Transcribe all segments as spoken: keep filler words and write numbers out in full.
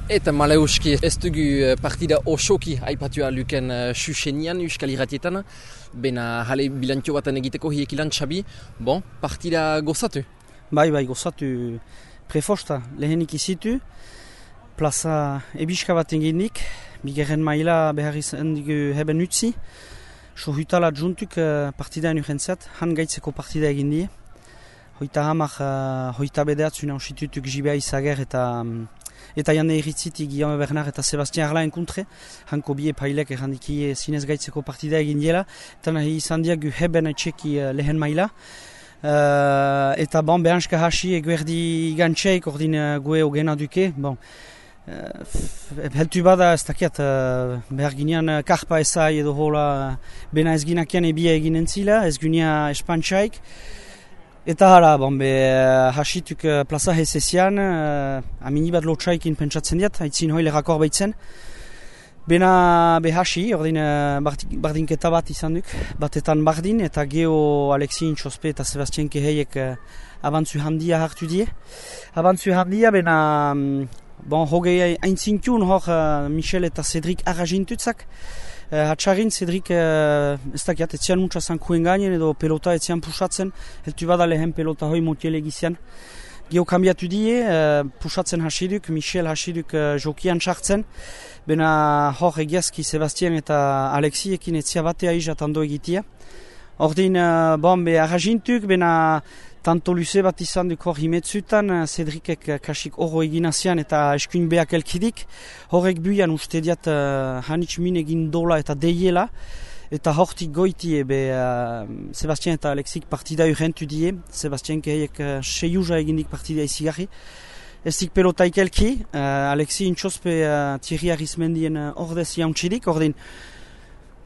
Eta maleuski ez dugu partida osoki aipatua luken susenian Euskal Irratietan, bena jale bilantio baten egiteko hiek ilan Xabi, bon, partida gozatu? Bai, bai, gozatu prefosta, lehenik izitu, plaza ebiska bat eginik, bigarren maila behar izan dugu heben utzi, sohutala juntuk partidaen urrentzat, han gaitzeko partida egin die, hoita hamak, hoita bedeatzuna ositutuk jibea izager eta Eta jande irritzitik Guillaume Bernard eta Sebastien Arlaen kontre, hanko bie pailek errandiki zinez gaitzeko partida egin diela, eta nahi izan diagu heben etxeki lehen maila. Uh, eta bon, behanska hasi eguerdi gantxeik, ordin uh, gue ogena duke. Bon, uh, heltu bada ez dakiat, uh, behar ginean uh, karpa ezai edo hola bena ez ginakian ebia egin entzila, ez gunia espantxaik. Eta hala, bon, be, hasituk uh, plaza hezezian, uh, amini bat lotxaikin pentsatzen diat, haitzin hoi lerrakor behitzen. Bena be hasi, ordin uh, bardinketa bat izan duk, batetan bardin, eta geho Alexi Intxospe eta Sebastien Keheiek uh, abantzu handia hartu die. Abantzu handia, bena, um, bon, hogei aintzintun hor uh, Michel eta Cedric arragintutzak. Uh, Hatxarin, Cedric, uh, ez dakiat, etzian muntza zankuen gainen edo pelota etzian pusatzen, heltu bada lehen pelota hoi motiele gizian. Geo kambiatu die, uh, pusatzen hasiduk, Michel hasiduk uh, jokian sartzen, bena hor egiazki Sebastien eta Alexiekin etzia batea izatando egitia. Ordin, uh, bon, be arragintuk, bena tanto luze bat izan duk hor himetzutan, Cedricek kasik oro eginazian eta eskuin beak elkidik. Horrek buian uste diat uh, hanitz min egin dola eta deiela. Eta hortik goiti ebe uh, Sebastien eta Alexik partida urrentu die. Sebastien keheiek uh, seiuza egindik partida izigarri. Ez dik pelotaik elki, uh, Alexi Intxospe uh, Thierry Arizmendien uh, ordez jauntxidik, ordin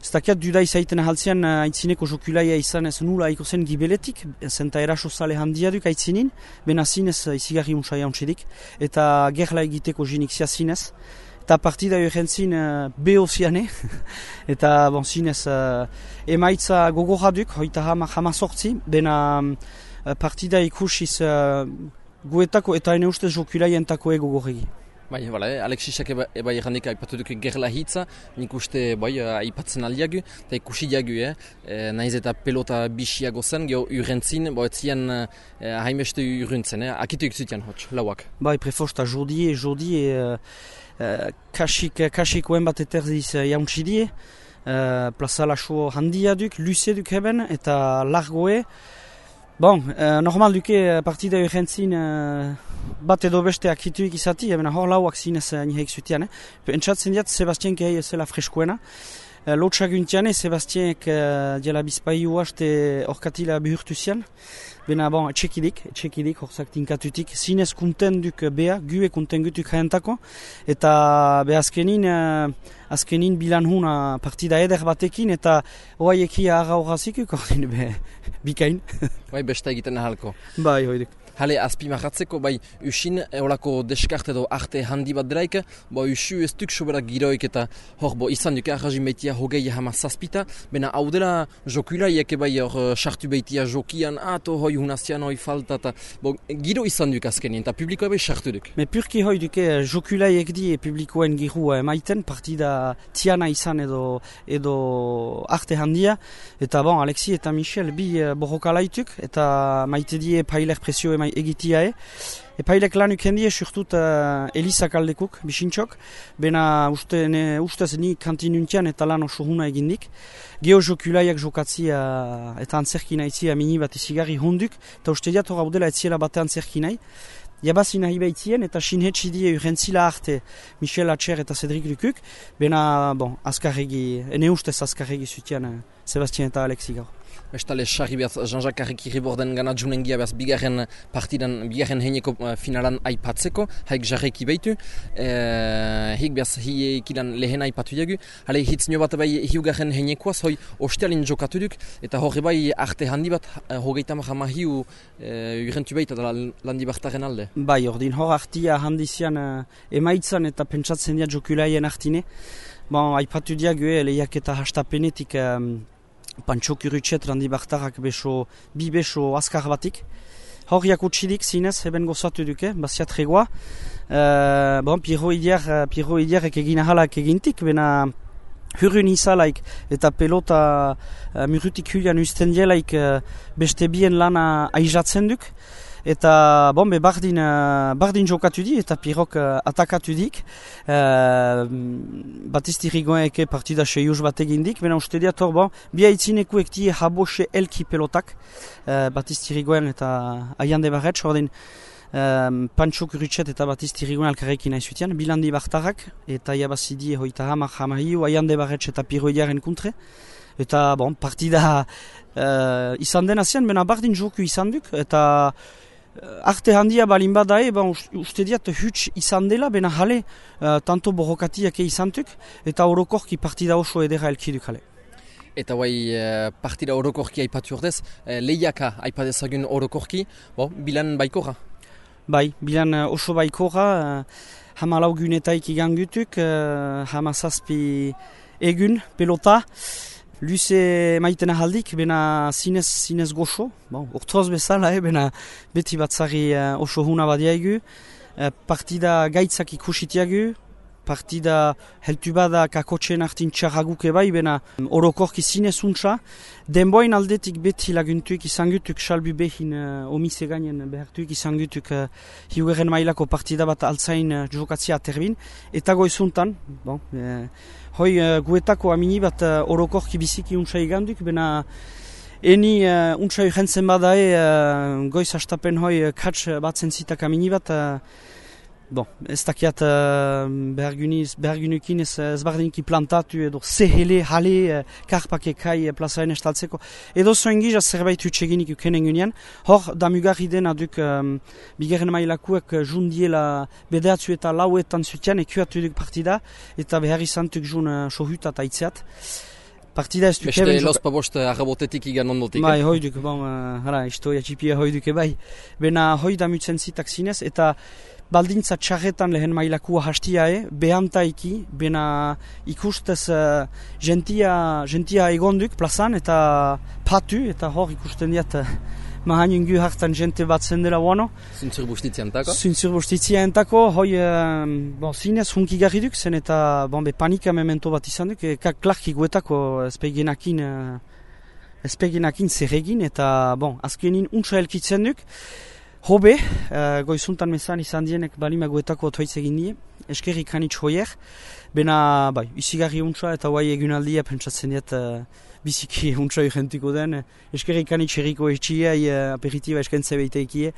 ez dakiat duda izaiten ahaltzean uh, aitzineko jokulaia izan ez nula aiko zen gibeletik, zenta eraso zale handia duk aitzinin, bena zinez uh, izigarri unsa jauntxidik, eta gerla egiteko jinik zia zinez. Eta partida urrentzin uh, beho ziane, eta bon, zinez uh, emaitza gogoraduk, hoita hama hama sortzi, bena um, partida ikusiz uh, guetako eta ene ustez jokulaientako ego gorregi. Bai, bala, eh? Alexisak eba, eba errandik aipatu duke gerla hitza, nik uste bai, aipatzen aldiagu, eta ikusi diagu, eh? E, naiz eta pelota bisiago zen, geho urrentzin, bo etzian eh, haimeste urrentzen, eh? Akitu ikzutian hotx, lauak. Bai, prefosta, jodi, jodi, e, e, kasik, kasikoen bat eterziz jauntxidie, e, plaza laso handia duk, luze duk heben, eta largoe. Bon, uh, normal duke partida urrentzin uh, bat edo beste akituik izati, ebena hor lauak zinez uh, niheik zutian. Eh? Entzatzen diat Sebastien Kehei ezela freskoena. Uh, Lotxaguntiane Sebastienek uh, diela bizpai uaste orkatila bihurtu zian. Bena bon, etxekidik, etxekidik horzak tinkatutik. Zinez kunten duk bea, gue kunten gutuk jaentako. Eta be azkenin, uh, azkenin bilan huna partida eder batekin, eta oaiekia arra horrazikuk, ordin be, bikain. Bai, besta egiten ahalko. Bai, hoiduk. Hale, azpimarratzeko, bai, usin, eolako deskarte edo arte handi bat delaik, bo usu ez duk soberak giroik eta hor, bo, izan duk arrazin behitia hogei hama zazpita, bena hau dela jokulaiek bai hor sartu behitia jokian, ato hoi hunazian hoi falta, eta bo, giro izan duk azkenien, eta publikoa bai sartu duk. Me purki hoi duke jokulaiek di publikoen girua emaiten, partida tiana izan edo, edo arte handia, eta bon, Alexi eta Michel bi borrokalaituk, eta maite die pailer presio emai egitiae. Epailek lanuk hendie surtut uh, Elisa kaldekuk, bisintxok, bena uste, ne, ustez ni kantinuntian eta lan oso huna egindik. Geo jokulaiak jokatzi uh, eta antzerkina itzia mini bat izigarri honduk, eta uste diat hor dela etziela bate antzerkinai. Jabazi nahi behitzien eta sinhetsi die urrentzila arte Michel Atxer eta Cedric Lukuk, bena, bon, azkarregi, ene ustez azkarregi zutian uh, Sebastien eta Alexi gaur. Bestale, sarri behaz, Jean-Jacques Arrekiri borden gana junengia behaz bigarren partidan, bigarren heineko finalan aipatzeko, haik jarreki behitu. E, hik behaz, hiek ilan lehen aipatu jagu. Hale, hitz nio bat bai hiugarren heinekoaz, hoi ostealin jokatu duk, eta horre bai arte handi bat, hogeita mahama hiu e, urrentu behit, eta landi bartaren alde. Bai, ordin hor artia handizian uh, emaitzan eta pentsatzen dia jokulaien artine. Bon, aipatu diagu, lehiak eta hastapenetik um, Pantxo Kurutxet randi bartarak beso, bi beso azkar batik. Hor jakutsidik zinez, heben gozatu duke, baziat regoa. Uh, bon, Piero Idiar, Piero Idiarek egin ahalak egintik, bena hurrun izalaik eta pelota uh, murutik hulian usten dielaik uh, beste bien lana aizatzen duk. Eta bon, be bardin, uh, bardin jokatu di eta Pierok uh, atakatu dik. Uh, Batisti Rigoeneke partida seius bat egindik, bena uste diat hor, bon, bia itzinekuek die habose elki pelotak. Uh, Batisti Rigoen eta Aiande Barretz, hor din Um, Pancho Kurutxet eta Batisti Rigoen alkarrekin aizutian, bilandi bartarak, eta jabazidi hoita hamar hamahiu, Aiande Barretz eta Piero Idiaren kontre. Eta bon, partida uh, izan den azian, bena bardin joku izan duk, eta uh, arte handia balin badae, ben, uste diat huts izan dela, bena jale, uh, tanto borrokatiak izan duk, eta orokorki partida oso edera elkiduk jale. Eta guai partida orokorki aipatu ordez, lehiaka aipadezagun orokorki, bon, bilan baikora? Bai, bilan uh, oso baikora, uh, hama lau gunetaik igangutuk, uh, hama zazpi egun, pelota, luze maiten ahaldik, bena zinez, zinez goxo, bon, urtroz bezala, eh, bena beti batzari uh, oso huna badiaigu, uh, partida gaitzak ikusitiagu, partida heltu bada kakotxen hartin txarraguke bai, bena orokorki zinez untsa, denboin aldetik beti laguntuik izan gutuk, salbi behin uh, omise gainen behartuik izan gutuk uh, hiugeren mailako partida bat altzain uh, jokatzia aterbin, eta goizuntan, bon, uh, hoi uh, guetako amini bat uh, orokorki biziki untsa iganduk, bena eni uh, untsa urgentzen badae uh, goiz hastapen hoi uh, katz batzen zitak amini bat, uh, bon, ez dakiat uh, behargunukin ez, ez bardiniki plantatu edo zehele, jale, uh, karpake kai plazaren estaltzeko. Edo zoen gizaz zerbait utxeginik ukenen gunean. Hor, damugarri dena duk um, bigarren mailakuek jundiela bedeatzu eta lauetan zutian ekuatu duk partida eta behar izan duk jun uh, sohutat aitzeat. Partida ez duk... Beste lospa bost arrabotetik igan ondotik. Bai, hoi duk, bon, uh, hara, istoia txipia hoi duke bai. Bena hoi damutzen zitak zinez eta baldintza txarretan lehen mailakua hastiae, behantaiki, bena ikustez uh, gentia, gentia egonduk plazan eta patu, eta hor ikusten diat uh, mahanungu hartan jente bat zendela wano. Zuntzur bustitzi antako? Zuntzur bustitzi antako, hoi uh, bon, zinez hunki garri duk, zen eta bon, be, panika memento bat izan duk, e, klarki guetako ezpegenakin, uh, ezpegenakin zerregin, eta bon, azkenin untsa elkitzen duk. Hobe, uh, goizuntan mezan izan dienek balima guetako otoitz egin die, eskerrik hanitz hoier, bena bai, izigarri untsa eta guai egunaldia pentsatzen diat uh, biziki untsa urgentiko den, eskerrik hanitz erriko etxia, uh, aperitiba eskentze behiteikie,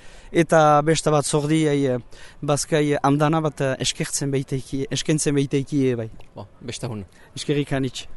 eta besta bat zordi, uh, bazkai andana bat uh, eskertzen behiteikie, eskentzen behiteikie bai. Bo, besta hun. Eskerrik hanitz.